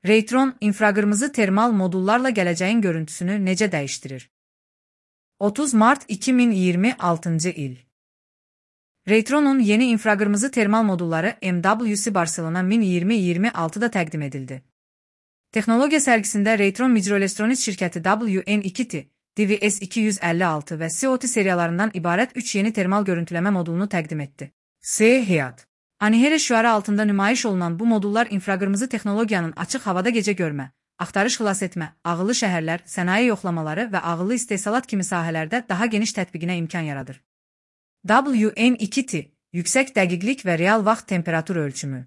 Raytron, infraqırmızı termal modullarla gələcəyin görüntüsünü necə dəyişdirir? 30 Mart 2026 il. Raytron'un yeni infraqırmızı termal modulları MWC Barcelona 2026'da təqdim edildi. Texnologiya sərgisində Raytron Microelectronics şirkəti WN2T, DVS256 və COT seriyalarından ibarət 3 yeni termal görüntüləmə modulunu təqdim etdi. Seyahat. Anihere şüarı altında nümayiş olunan bu modullar infraqırmızı texnologiyanın açıq havada gecə görmə, axtarış xilas etmə, ağıllı şəhərlər, sənaye yoxlamaları və ağıllı istehsalat kimi sahələrdə daha geniş tətbiqinə imkan yaradır. WN2T, yüksək dəqiqlik və real vaxt temperatur ölçümü.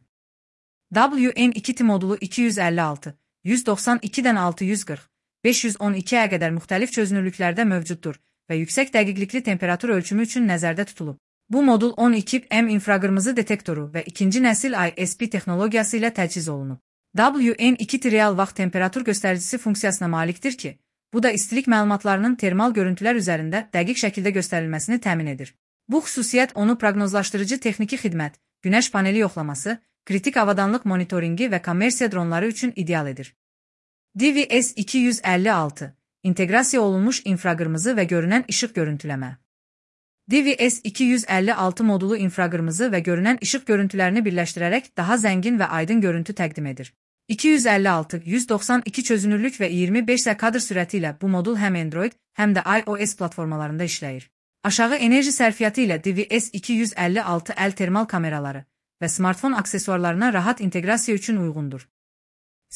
WN2T modulu 256, 192-dən 640, 512-yə qədər müxtəlif çözünürlüklərdə mövcuddur və yüksək dəqiqlikli temperatur ölçümü üçün nəzərdə tutulub. Bu modul 12M infraqırmızı detektoru və ikinci nəsil ISP texnologiyası ilə təchiz olunub. WN2T real vaxt temperatur göstəricisi funksiyasına malikdir ki, bu da istilik məlumatlarının termal görüntülər üzərində dəqiq şəkildə göstərilməsini təmin edir. Bu xüsusiyyət onu proqnozlaşdırıcı texniki xidmət, günəş paneli yoxlaması, kritik avadanlıq monitoringi və kommersiya dronları üçün ideal edir. DVS256, inteqrasiya olunmuş infraqırmızı və görünən işıq görüntüləmə. DVS256 modulu infraqırmızı və görünən işıq görüntülərini birləşdirərək daha zəngin və aydın görüntü təqdim edir. 256, 192 çözünürlük və 25 kadr sürəti ilə bu modul həm Android, həm də iOS platformalarında işləyir. Aşağı enerji sərfiyyatı ilə DVS256 əl termal kameraları və smartfon aksesuarlarına rahat inteqrasiya üçün uyğundur.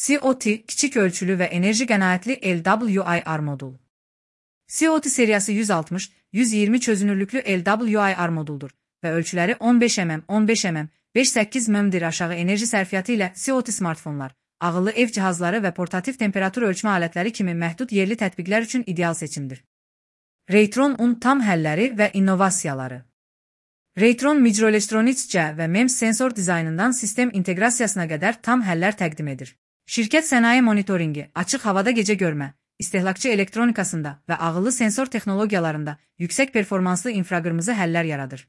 COT, kiçik ölçülü və enerji qənaətli LWIR modul. COT seriyası 160, 120 çözünürlüklü LWIR moduldur və ölçüləri 15 mm, 15 mm, 5-8 mm'dir. Aşağı enerji sərfiyyatı ilə COT smartfonlar, ağıllı ev cihazları və portativ temperatur ölçmə alətləri kimi məhdud yerli tətbiqlər üçün ideal seçimdir. Raytron'un tam həlləri və innovasiyaları. Raytron Microelectronics-cə və MEMS sensor dizaynından sistem inteqrasiyasına qədər tam həllər təqdim edir. Şirkət sənaye monitoringi, açıq havada gecə görmə, istehlakçı elektronikasında və ağıllı sensor texnologiyalarında yüksək performanslı infraqırmızı həllər yaradır.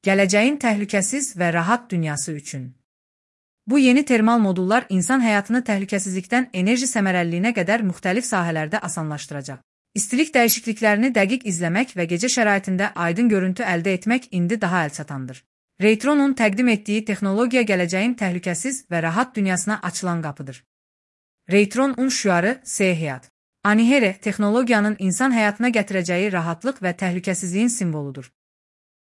Gələcəyin təhlükəsiz və rahat dünyası üçün. Bu yeni termal modullar insan həyatını təhlükəsizlikdən enerji səmərəliliyinə qədər müxtəlif sahələrdə asanlaşdıracaq. İstilik dəyişikliklərini dəqiq izləmək və gecə şəraitində aydın görüntü əldə etmək indi daha əlçatandır. Raytron'un təqdim etdiyi texnologiya gələcəyin təhlükəsiz və rahat dünyasına açılan qapıdır. Raytron'un şüarı Seyahat. Anihere texnologiyanın insan həyatına gətirəcəyi rahatlıq və təhlükəsizliyin simvoludur.